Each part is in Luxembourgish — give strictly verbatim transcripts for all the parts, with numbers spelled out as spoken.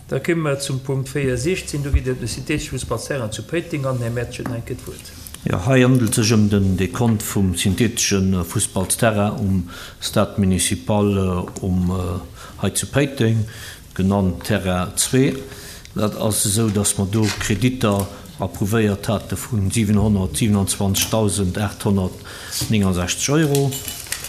Da komme mer zum Punkt véier siechzehn, do geet et ëm de syntheetesche Fussballsterrain zu Péiteng an den Här Mertsch huet nach eng Kéier d'Wuert. Jo, hei handelt et sech ëm den Dekont vum syntheetesche Fussballsterrain um Stade municipal um hei zu Péiteng, genannt Terrain zwee. Dat ass esou, dass mer do Kreditter approuvéiert hate vu siwenhonnertsiwenundzwanzegdausendaathonnertnéngonsechzeg Euro.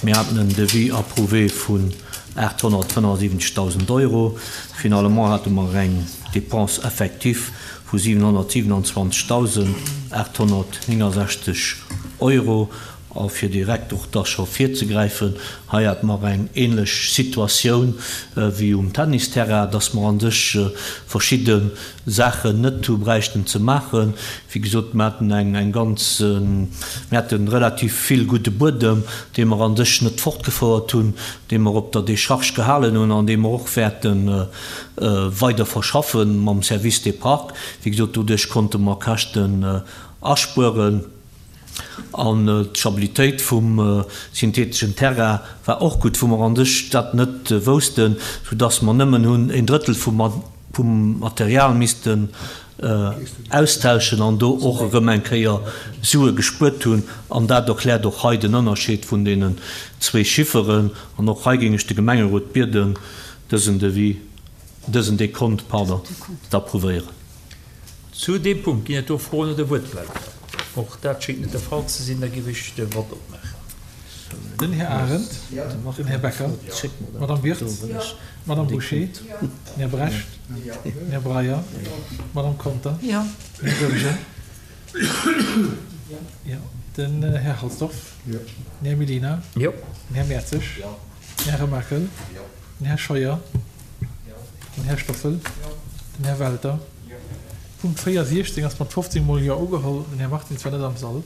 Mir haten en Devis approuvé vun aathonnertfënnefundsiwwenzegdausend Euro. Finalement hate mer eng Dépense effective vu siwenhonnertsiwenundzwanzegdausendaathonnertnéngonsechzeg Euro. A fir direkt och da scho virzegräifen, hei hate mer eng ähnlech Situatioun wéi um Tennisterrain, dass mer an sech verschidde Saachen net hu bräichten ze maachen. Wéi gesot, mer haten eng, eng ganz, mir haten relativ vill gudde Buedem, dee mer an sech net fortgefouert hunn, dee mer op der Décharge gehalen hunn an dee mer och wäerte weider verschaffe mam Service des Parcs. Wéi gesot, doduerch konnte mer Käschten aspueren. An d'Stabilitéit vum syntheeteschen Terrain war och gutt, wou mer an sech dat net woussten, soudass mer nëmmen hunn een Drëttel vum Material missten austauschen an do och erëm eng Kéier Sue gespuert hunn. An dat erkläert och hei den Ënnerscheed vun deenen zwee Chifferen. An och hei géing ech de Gemengerot bieden, dësen Devis, dësen Dekont, pardon, z'approuvéieren. Zu deem Punkt ginn et do Froen oder Wuertmeldungen? Och dat schéngt net de Fall ze sinn. Da géif ech de Vott opmaachen. Den Här Arendt, den Här Becker, d'Madame Wirtz, d'Madame Bouché, den Här Brecht, den Här Breyer, d'Madame Conter, den Här Goergen, den Här Halsdorf, den Här Mellina, den Här Mertzig, den Här Remakel, den Här Scheuer, den Här Stoffel, den Här Welter. Punkt véier siechzéng ass mat fofzéng mol Jo ugeholl. Den Här Martins war net am Sall.